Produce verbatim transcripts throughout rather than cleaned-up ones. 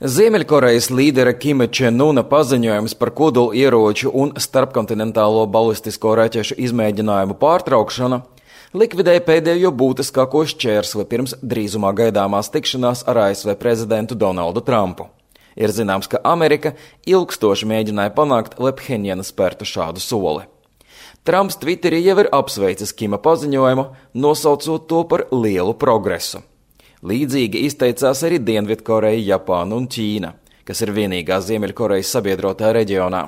Ziemeļkorejas līdera Kima Čen Una paziņojums par kodola ieroču un starpkontinentālo balistisko raķešu izmēģinājumu pārtraukšanu likvidēja pēdējo būtiskāko šķērsli pirms drīzumā gaidāmās tikšanās ar A S V prezidentu Donaldu Trumpu. Ir zināms, ka Amerika ilgstoši mēģināja panākt, lai Phenjana spērtu šādu soli. Trumps Twitterī jau ir apsveicis Kima paziņojumu, nosaucot to par lielu progresu. Līdzīgi izteicās arī Dienvidkoreja, Japāna un Ķīna, kas ir vienīgā Ziemeļkorejas sabiedrotā reģionā.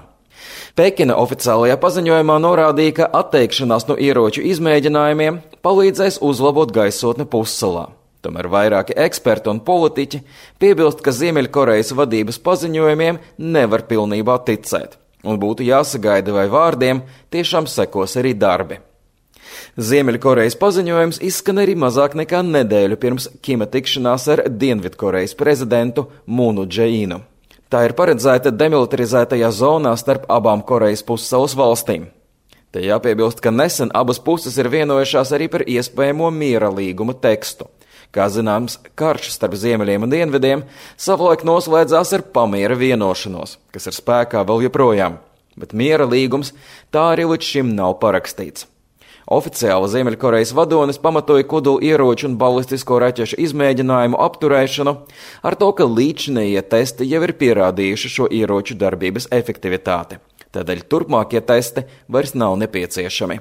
Pekina oficiālajā paziņojumā norādīja, ka atteikšanās no ieroču izmēģinājumiem palīdzēs uzlabot gaisotni pussalā. Tomēr vairāki eksperti un politiķi piebilst, ka Ziemeļkorejas vadības paziņojumiem nevar pilnībā ticēt, un būtu jāsagaida, vai vārdiem tiešām sekos arī darbi. Ziemeļkorejas paziņojums izskan arī mazāk nekā nedēļu pirms Kima tikšanās ar Dienvidkorejas prezidentu Mūnu Džeīnu. Tā ir paredzēta demilitarizētajā zonā starp abām Korejas pussalas valstīm. Te jāpiebilst, ka nesen abas puses ir vienojušās arī par iespējamo miera līguma tekstu. Kā zināms, karš starp ziemeļiem un dienvidiem savulaik noslēdzās ar pamiera vienošanos, kas ir spēkā vēl joprojām, bet miera līgums tā arī līdz šim nav parakstīts. Oficiāli Ziemeļkorejas vadonis pamatoja kodola ieroču un balistisko raķešu izmēģinājumu apturēšanu ar to, ka līdzinējie testi jau ir pierādījuši šo ieroču darbības efektivitāti. Tādēļ turpmākie testi vairs nav nepieciešami.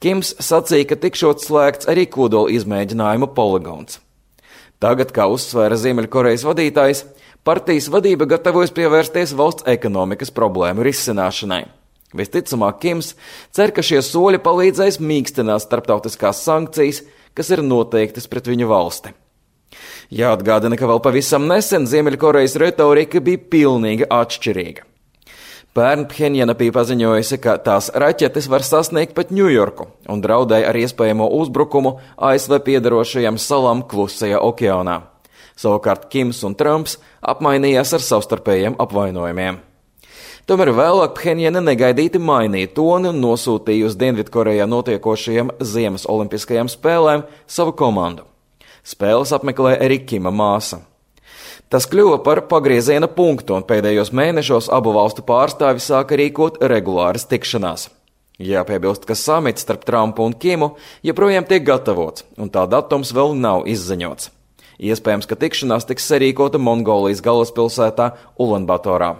Kims sacīja, ka tikšot slēgts arī kodola izmēģinājuma poligons. Tagad, kā uzsvēra Ziemeļkorejas vadītājs, partijas vadība gatavojas pievērsties valsts ekonomikas problēmu risināšanai. Visticamāk, Kims cer, ka šie soļi palīdzēs mīkstināt starptautiskās sankcijas, kas ir noteiktas pret viņu valsti. Jāatgādina, ka vēl pavisam nesen Ziemeļkorejas retorika bija pilnīgi atšķirīga. Pērn Phenjana bija paziņojusi, ka tās raķetes var sasniegt pat Ņujorku un draudēja ar iespējamo uzbrukumu A S V piedarošajām salām Klusajā okeānā. Savukārt Kims un Trumps apmainījās ar savstarpējiem apvainojumiem. Tomēr vēlāk Phenjana negaidīti mainīja toni un nosūtīja uz Dienvidkorejā notiekošajām Ziemas olimpiskajām spēlēm savu komandu. Spēles apmeklēja arī Kima māsa. Tas kļuva par pagrieziena punktu, un pēdējos mēnešos abu valstu pārstāvi sāka rīkot regulāras tikšanās. Jāpiebilst, ka samits starp Trumpu un Kimu joprojām tiek gatavots, un tā datums vēl nav izziņots. Iespējams, ka tikšanās tiks sarīkota Mongolijas galvaspilsētā Ulanbatorā.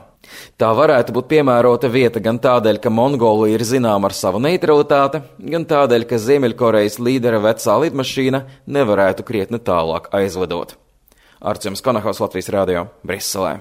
Tā varētu būt piemērota vieta gan tādēļ, ka Mongolija ir zināma ar savu neutralitāti, gan tādēļ, ka Ziemeļkorejas līdera vecā lidmašīna nevarētu krietni tālāk aizlidot. Artjoms Konahaus, Latvijas radio, Briselē.